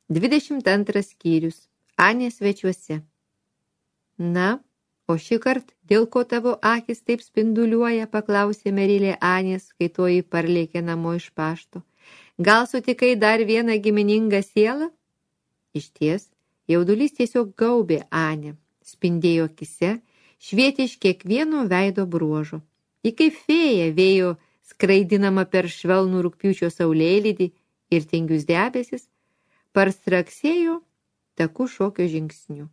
22 skyrius. Anė svečiuose. Na, o šįkart, dėl ko tavo akis taip spinduliuoja, paklausė Merilė Anės, kai toji parlėkė namo iš pašto. Gal sutikai dar vieną giminingą sielą? Išties, jaudulys tiesiog gaubė Anę, spindėjo akise, švietė iš kiekvieno veido bruožo. Ji kaip fėja vėjo skraidinama per švelnų rugpjūčio saulėlydį ir tingius debesis, parstraksėjo takų šokio žingsniu.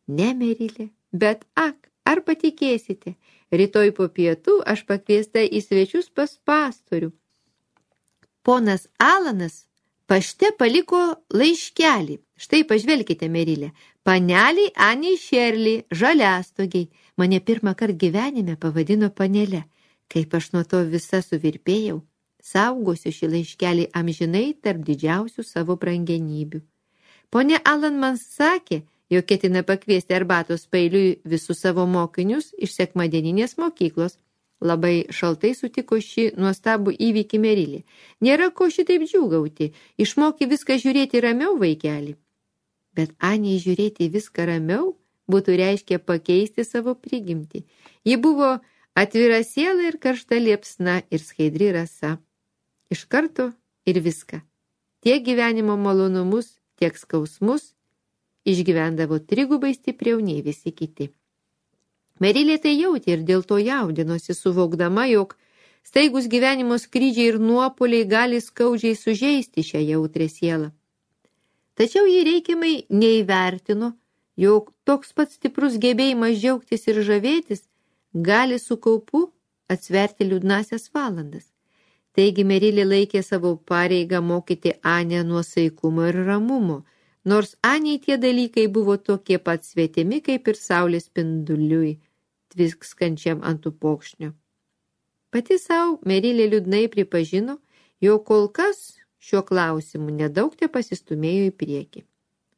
Ne, Merilė, bet ar patikėsite, rytoj po pietų aš pakviesta į svečius pas pastorių. Ponas Alanas pašte paliko laiškelį. Štai pažvelkite, Merilė, paneliai Anei Šerlį, žaliastogiai. Mane pirmąkart gyvenime pavadino panele. Kaip aš nuo to visa suvirpėjau, saugosiu šį laiškelį amžinai tarp didžiausių savo brangenybių. Pone Alan man sakė, jog ketina pakviesti arbatos pailiui visus savo mokinius iš sekmadieninės mokyklos. Labai šaltai sutiko šį nuostabų įvykį Merilė. Nėra ko šitaip džiūgauti, išmoki viską žiūrėti ramiau, vaikeli. Bet Anei žiūrėti viską ramiau būtų reiškia pakeisti savo prigimtį. Ji buvo atvira siela ir karšta liepsna ir skaidri rasa. Iš karto ir viską. Tiek gyvenimo malonumus, tiek skausmus išgyvendavo trigubai stipriau nei visi kiti. Merilė tai jautė ir dėl to jaudinosi, suvokdama, jog staigus gyvenimo skrydžiai ir nuopuoliai gali skaudžiai sužeisti šią jautrę sielą. Tačiau jį reikiamai neįvertino, jog toks pats stiprus gebėjimas džiaugtis ir žavėtis gali su kaupu atsverti liūdnasias valandas. Taigi Merilė laikė savo pareigą mokyti Anę nuosaikumo ir ramumo, nors Anei tie dalykai buvo tokie pat svetimi, kaip ir saulės spinduliui, tviskančiam ant upokšnio. Pati savo Merilė liūdnai pripažino, jog kol kas šiuo klausimu nedaug te pasistumėjo į priekį.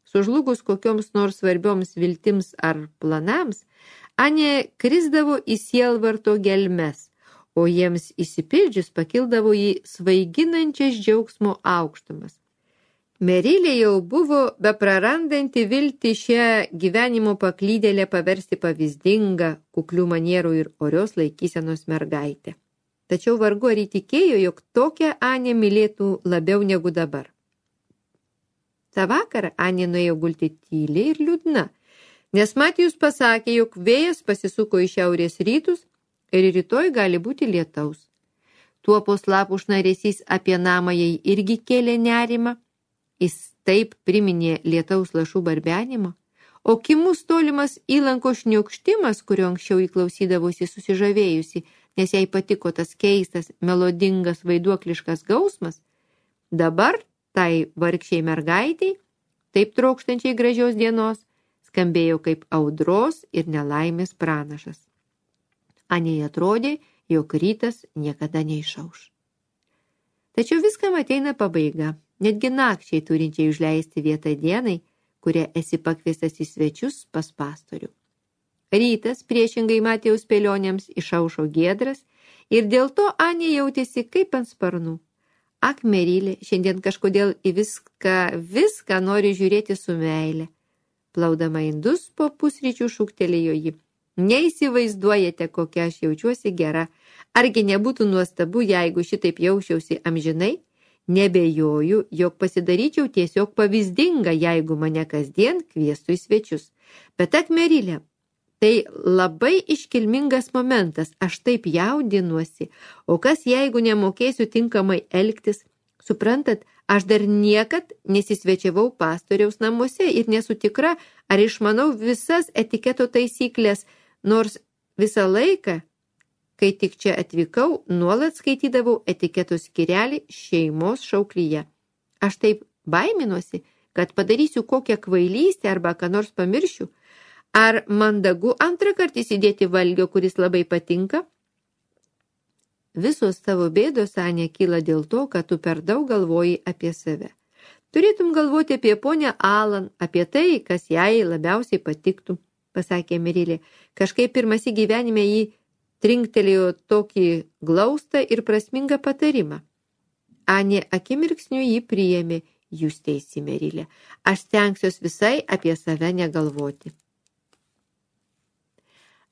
Sužlugus kokioms nors svarbioms viltims ar planams, Anė krisdavo į sielvarto gelmes, o jiems įsipildžius pakildavo į svaiginančias džiaugsmo aukštumas. Merilė jau buvo beprarandanti viltį šią gyvenimo paklydėlę paversti pavyzdingą, kuklių manierų ir orios laikysenos mergaitę. Tačiau vargu ar įtikėjo, jog tokią Anę mylėtų labiau negu dabar. Ta vakarą Anė nuėjo gulti tyliai ir liūdna, nes Matijus pasakė, jog vėjas pasisuko į šiaurės rytus ir rytoj gali būti lietaus. Tuopos lapų šnaresys apie namą jai irgi kėlė nerimą. Jis taip priminė lietaus lašų barbenimą, o kimus tolimas įlanko šniokštimas, kurio anksčiau įklausydavosi susižavėjusi, nes jai patiko tas keistas, melodingas, vaiduokliškas gausmas, dabar tai vargšiai mergaitiai, taip trokštančiai gražios dienos, skambėjo kaip audros ir nelaimės pranašas. Anei atrodė, jog rytas niekada neišauš. Tačiau viskam ateina pabaiga. Netgi nakčiai turinčiai užleisti vietą dienai, kuria esi pakviestas į svečius pas pastorių. Rytas, priešingai Matijaus spėlionėms, išaušo giedras ir dėl to Anė jautėsi kaip ant sparnų. Ak, Merilė, šiandien kažkodėl į viską nori žiūrėti su meile. Plaudama indus po pusryčių šūktelėjo ji. Neįsivaizduojate, kokia aš jaučiuosi gera. Argi nebūtų nuostabu, jeigu šitaip jausčiausi amžinai? Nebejoju, jog pasidaryčiau tiesiog pavyzdinga, jeigu mane kasdien kviestų į svečius. Bet ak, Merilė, tai labai iškilmingas momentas, aš taip jaudinuosi, o kas jeigu nemokėsiu tinkamai elgtis? Suprantat, aš dar niekad nesisvečiavau pastoriaus namuose ir nesu tikra, ar išmanau visas etiketo taisyklės, nors visą laiką, kai tik čia atvykau, nuolat skaitydavau etiketo skyrelį šeimos šauklyje. Aš taip baiminuosi, kad padarysiu kokią kvailystę arba ką nors pamiršiu. Ar mandagu antrą kartą įsidėti valgio, kuris labai patinka? Visos tavo bėdos, Anė, kyla dėl to, kad tu per daug galvoji apie save. Turėtum galvoti apie ponę Alan, apie tai, kas jai labiausiai patiktų, pasakė Merilė. Kažkaip pirmąsyk gyvenime jį trinktelėjo tokį glaustą ir prasmingą patarimą. Anė akimirksniu jį priėmė Jūs teisi, Merilė. Aš stengsiuos visai apie save negalvoti.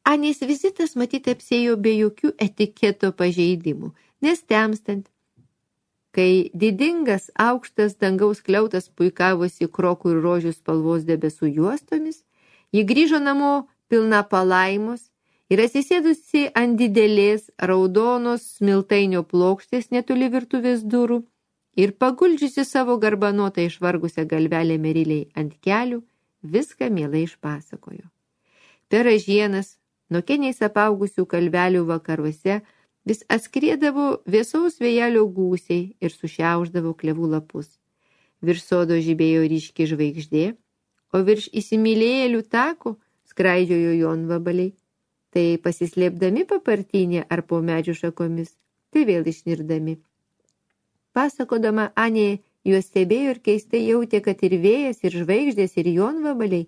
Anės vizitas matyt apsėjo be jokių etiketo pažeidimų, nes temstant, kai didingas aukštas dangaus kliautas puikavosi krokų ir rožių spalvos debesų juostomis, ji grįžo namo pilna palaimos ir atsisėdusi ant didelės raudonos smiltainio plokštės netoli virtuvės durų ir paguldžiusi savo garbanotą išvargusią galvelę Merilei ant kelių, viską mielai išpasakojo. Per ražienas, nuo keniais apaugusių kalvelių vakaruose, vis atskriedavo vėsaus vėjelio gūsiai ir sušiauždavo klevų lapus. Virš sodo žibėjo ryški žvaigždė, o virš įsimylėjėlių tako skraidžiojo jonvabaliai. Tai pasislėpdami papartynė ar po medžių šakomis, tai vėl išnirdami. Pasakodama, Anė juos stebėjo ir keistai jautė, kad ir vėjas, ir žvaigždės, ir jonvabaliai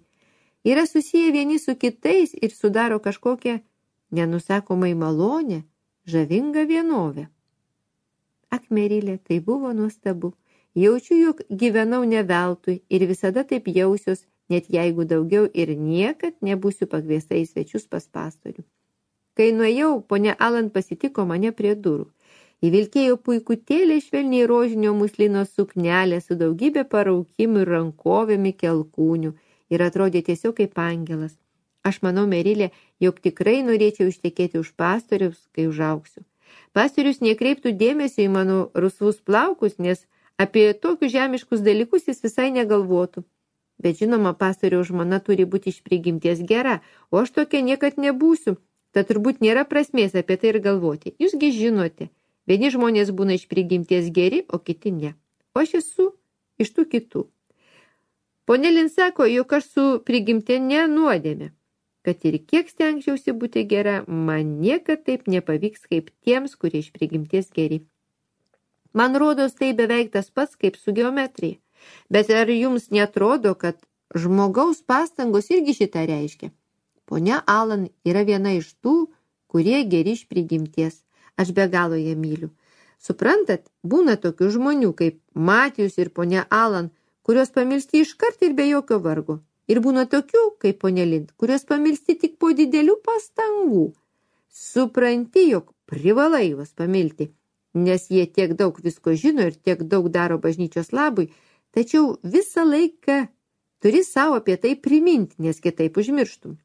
yra susiję vieni su kitais ir sudaro kažkokią nenusakomai malonę, žavingą vienovę. Ak, Merilė, tai buvo nuostabu. Jaučiu, jog gyvenau ne veltui ir visada taip jausiuos, net jeigu daugiau ir niekad nebūsiu pakviesta į svečius pas pastorių. Kai nuėjau, ponia Alan pasitiko mane prie durų. Įvilkėjo puikutėlė švelniai rožinio muslino suknelė su daugybė paraukimų ir rankovėmi kelkūnių ir atrodė tiesiog kaip angelas. Aš manau, Merilė, jog tikrai norėčiau ištekėti už pastoriaus, kai užaugsiu. Pastorius nekreiptų dėmesio į mano rusvus plaukus, nes apie tokius žemiškus dalykus jis visai negalvotų. Bet žinoma, pastoriaus žmona turi būti iš prigimties gera, o aš tokia niekad nebūsiu, tad turbūt nėra prasmės apie tai ir galvoti. Jūsgi žinote, vieni žmonės būna iš prigimties geri, o kiti ne. O aš esu iš tų kitų. Ponia Lin sako, jog aš su prigimtine nuodėme, kad ir kiek stengčiausi būti gera, man niekad taip nepavyks kaip tiems, kurie iš prigimties geri. Man rodos, tai beveik tas pats kaip su geometrija. Bet ar jums netrodo, kad žmogaus pastangos irgi šitą reiškia? Ponia Alan yra viena iš tų, kurie geri iš prigimties. Aš be galo ją myliu. Suprantat, būna tokių žmonių kaip Matijus ir ponia Alan, kurios pamilsti iškart ir be jokio vargo. Ir būna tokių kaip ponia Lind, kurios pamilsti tik po didelių pastangų. Supranti, jog privalai juos pamilti, nes jie tiek daug visko žino ir tiek daug daro bažnyčios labui, tačiau visą laiką turi savo apie tai priminti, nes kitaip užmirštum.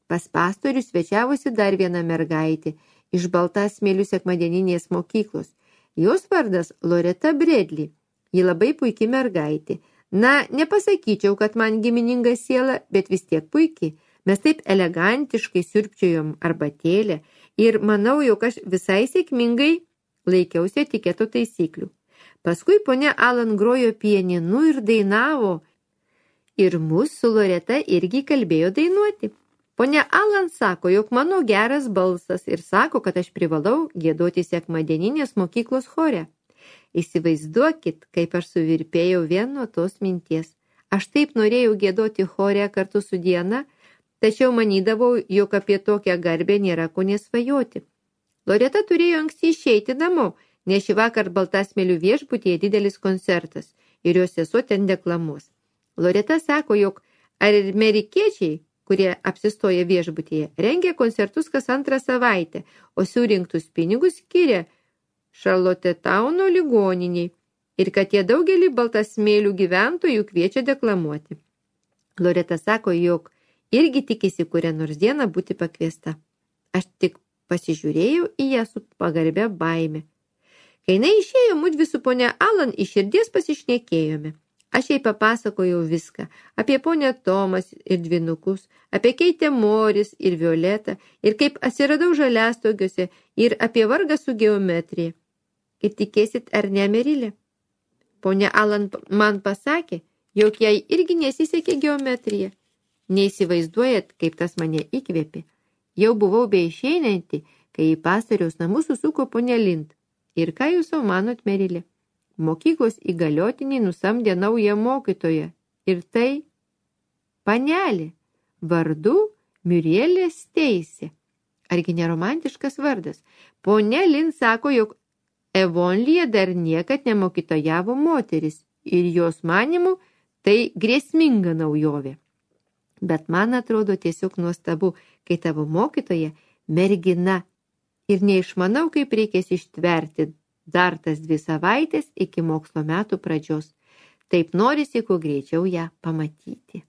Pas pastorių svečiavosi dar viena mergaitė iš Baltasmėlių sekmadieninės mokyklos. Jos vardas Loreta Bredli. Ji labai puiki mergaitė. Na, nepasakyčiau, kad man gimininga siela, bet vis tiek puiki. Mes taip elegantiškai siurbčiojom arbatėlę ir manau, jog aš visai sėkmingai laikiausi etiketo taisyklių. Paskui ponia Alan grojo pianinu ir dainavo. Ir mus su Loreta irgi kalbėjo dainuoti. Ponia Alan sako, jog mano geras balsas ir sako, kad aš privalau giedoti sekmadieninės mokyklos chore. Įsivaizduokit, kaip aš suvirpėjau vien nuo tos minties. Aš taip norėjau giedoti chore kartu su Diana, tačiau manydavau, jog apie tokią garbę nėra ko nesvajoti. Loreta turėjo anksti išeiti namo, nes šį vakar Baltasmėlių viešbutyje didelis koncertas ir jos sesuo ten deklamuos. Loreta sako, jog amerikiečiai, kurie apsistoja viešbutyje, rengia koncertus kas antrą savaitę, o surinktus pinigus skiria Šarlotetauno ligoniniai ir kad jie daugelį Baltasmėlių gyventojų kviečia deklamuoti. Loreta sako, jog irgi tikisi kurią nors dieną būti pakviesta. Aš tik pasižiūrėjau į ją su pagarbia baime. Kai jinai išėjo, mudvi su ponia Alan iš širdies pasišnekėjome. Aš jai papasakojau viską, apie ponę Tomas ir dvynukus, apie Keitę Moris ir Violetą, ir kaip atsiradau Žaliastogiuose, ir apie vargą su geometrija. Ir tikėsit ar ne, Merilė? Ponia Alan man pasakė, jog jai irgi nesisekė geometrija. Neįsivaizduojat, kaip tas mane įkvėpė. Jau buvau beišeinanti, kai į pastoriaus namus susuko ponia Lind. Ir ką jūs jau manot, Merilė? Mokyklos įgaliotiniai nusamdė naują mokytoją. Ir tai panelė, vardu Murielė Steisė. Argi neromantiškas vardas? Ponia Lind sako, jog Evonlyje dar niekad nemokytojavo moteris. ir jos manymu tai grėsminga naujovė. Bet man atrodo tiesiog nuostabu, kai tavo mokytoja mergina ir neišmanau, kaip reikės ištverti dar tas 2 savaitės iki mokslo metų pradžios. Taip norisi kuo greičiau ją pamatyti.